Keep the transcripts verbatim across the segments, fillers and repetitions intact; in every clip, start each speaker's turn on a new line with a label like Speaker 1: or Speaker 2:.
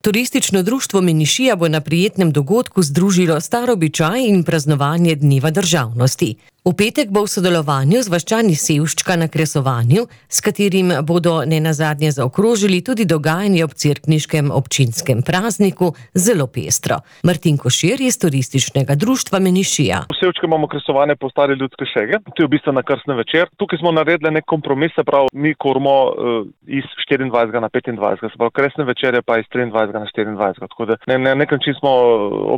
Speaker 1: Turistično društvo Menišija bo na prijetnem dogodku združilo star običaj in praznovanje Dneva državnosti. V petek bo v sodelovanju z vaščani Sevščka na Kresovanju, s katerim bodo nenazadnje zaokrožili tudi dogajanje ob cerkniškem občinskem prazniku, zelo pestro. Martin Košir iz Turističnega društva Menišija.
Speaker 2: V Sevčku imamo kresovanje po stari ljudske šege, to je v bistvu na krstni večer. Tukaj smo naredili nek kompromis, se pravi, mi korimo uh, iz štiriindvajsetega na petindvajsetega, se pravi, kresne večere pa iz triindvajsetega na štiriindvajsetega. Tako da na ne, nek način smo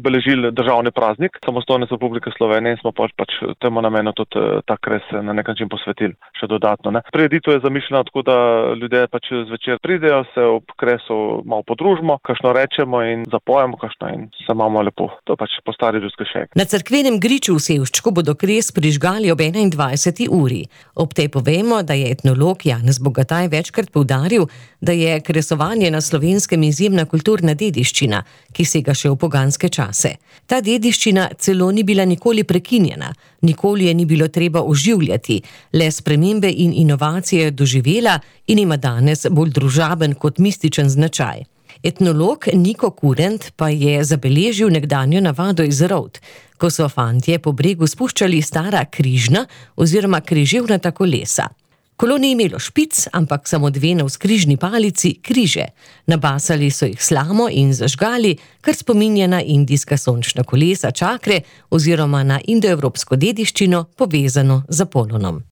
Speaker 2: obeležili državni praznik, samostojnost Republike Slovenije in smo pač, pač temu namenu tudi ta kres na nek način posvetili še dodatno. Ne. Prireditev je zamišljena tako, da ljudje pač zvečer pridejo, se ob kresu malo podružimo, kakšno rečemo in zapojemo kakšno in se imamo lepo. To pač po stari ljudske šege.
Speaker 1: Na cerkvenem griču v Sevščku bodo kres prižgali ob enaindvajseti uri. Ob tej povemo, da je etnolog Janez Bogataj večkrat poudaril, da je kresovanje na Slovenskem izjemna kulturna dediščina, ki sega še v poganske čase. Ta dediščina celo ni bila nikoli prekinjena, nikoli je ni bilo treba oživljati, le spremembe in inovacije doživela in ima danes bolj družaben kot mističen značaj. Etnolog Niko Kurent pa je zabeležil nekdanjo navado iz Rovt, ko so fantje po bregu spuščali stara križna oziroma križevnata kolesa. Kolo ni imelo špic, ampak samo dve navzkrižni palici, križe. Nabasali so jih slamo in zažgali, kar spominja na indijska sončna kolesa čakre oziroma na indoevropsko dediščino povezano z Apolonom.